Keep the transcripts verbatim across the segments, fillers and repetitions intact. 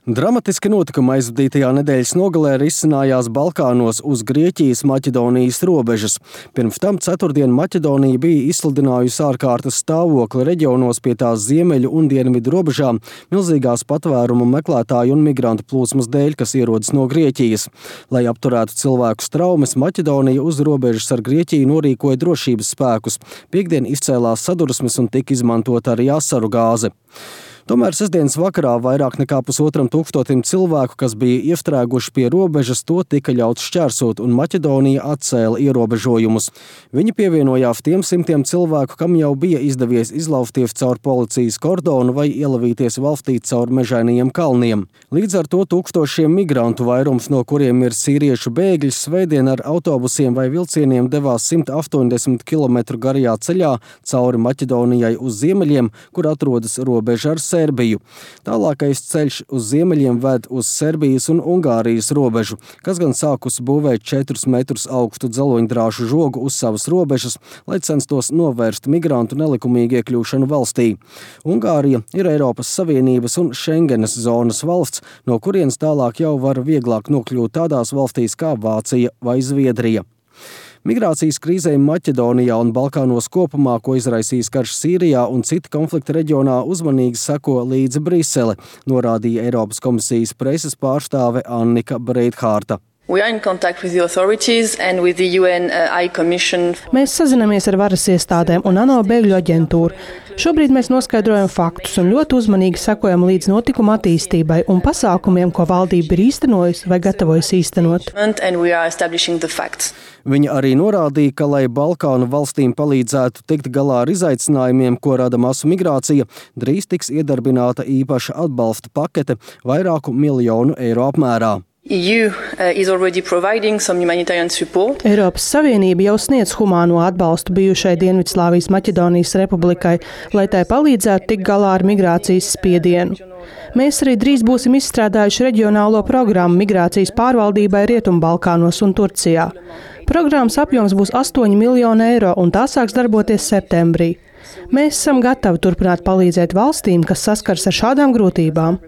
Dramatiski notikumi aizvadītajā nedēļas nogalē risinājās Balkānos uz Grieķijas-Maķedonijas robežas. Pirms tam ceturtdien Maķedonija bija izsludinājusi ārkārtas stāvokli reģionos pie tās ziemeļu un dienvidu robežām milzīgās patvērumu meklētāju un migrantu plūsmas dēļ, kas ierodas no Grieķijas. Lai apturētu cilvēku straumes, Maķedonija uz robežas ar Grieķiju norīkoja drošības spēkus. Piektdien izcēlās sadursmes un tika izmantota arī asaru gāze. Tomēr sestdienas vakarā vairāk nekā pusotram tūkstotim cilvēku, kas bija iestrēguši pie robežas, to tika ļauts šķērsot, un Maķedonija atcēla ierobežojumus. Viņi pievienojās tiem simtiem cilvēku, kam jau bija izdevies izlausties caur policijas kordonu vai ielavīties valstī caur mežainajiem kalniem. Līdz ar to tūkstošiem migrantu, vairums no kuriem ir sīriešu bēgļi, svētdien ar autobusiem vai vilcieniem devās simt astoņdesmit kilometru garajā ceļā cauri Maķedonijai uz ziemeļiem, kur atrodas robeža ar Serbiju. Tālākais ceļš uz ziemeļiem ved uz Serbijas un Ungārijas robežu, kas gan sākus būvēt četrus metrus augstu dzeloņdrāšu žogu uz savas robežas, lai censtos novērst migrantu nelikumīgu iekļūšanu valstī. Ungārija ir Eiropas Savienības un Šengenes zonas valsts, no kurienes tālāk jau var vieglāk nokļūt tādās valstīs kā Vācija vai Zviedrija. Migrācijas krīzei Maķedonijā un Balkānos kopumā, ko izraisīs karš Sīrijā un citi konflikta reģionā, uzmanīgi seko līdzi Brisele, norādīja Eiropas komisijas preses pārstāve Annika Breithārta. We are in contact with the authorities and with the U N uh, High Commission. Mēs sazinamies ar varas iestādēm un ANO bēgļu aģentūru. Šobrīd mēs noskaidrojam faktus un ļoti uzmanīgi sekojam līdz notikuma attīstībai un pasākumiem, ko valdība ir īstenojusi vai gatavojas īstenot. And we are establishing the facts. Viņa arī norādīja, ka, lai Balkānu valstīm palīdzētu tikt galā ar izaicinājumiem, ko rada masu migrācija, drīz tiks iedarbināta īpaša atbalsta pakete vairāku miljonu eiro apmērā. E U uh, is already providing some humanitarian support. Eiropas Savienība jau sniedz humāno atbalstu bijušai Dienvidslāvijas Maķedonijas republikai, lai tai palīdzētu tikt galā ar migrācijas spiedienu. Mēs arī drīz būsim izstrādājuši reģionālo programmu migrācijas pārvaldībai Rietumbalkānos un Turcijā. Programmas apjoms būs astoņi miljoni eiro un tā sāks darboties septembrī. Mēs esam gatavi turpināt palīdzēt valstīm, kas saskars ar šādām grūtībām.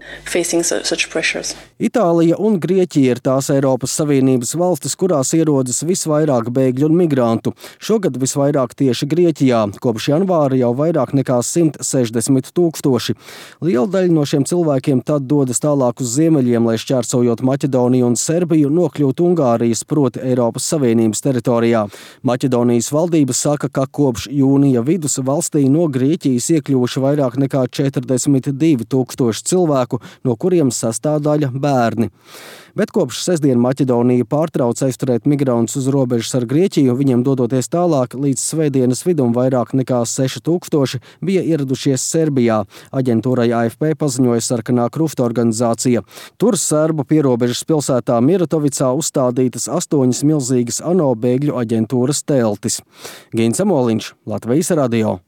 Itālija un Grieķija ir tās Eiropas Savienības valstis, kurās ierodas visvairāk bēgļu un migrantu. Šogad visvairāk tieši Grieķijā, kopš janvāra jau vairāk nekā simt sešdesmit tūkstoši. Liela daļa no šiem cilvēkiem tad dodas tālāk uz ziemeļiem, lai šķērsojot Maķedoniju un Serbiju nokļūtu Ungārijas, proti Eiropas Savienības teritorijā. Maķedonijas valdība saka, ka kopš jūnija vidus valstī no Grieķijas iekļuvuši vairāk nekā četrdesmit divi tūkstoši cilvēku, no kuriem sastāvdaļa bērni. Bet kopš sestdien Maķedonija pārtrauc aizturēt migrantus uz robežas ar Grieķiju, viņiem dodoties tālāk, līdz svētdienas vidum vairāk nekā seši tūkstoši bija ieradušies Serbijā. Aģentūrai A F P paziņoja Sarkanā krusta organizācija. Tur serbu pierobežas pilsētā Miratovicā uzstādītas astoņas milzīgas ANO bēgļu aģentūras teltis. Gins Amoliņš, Latvijas radio.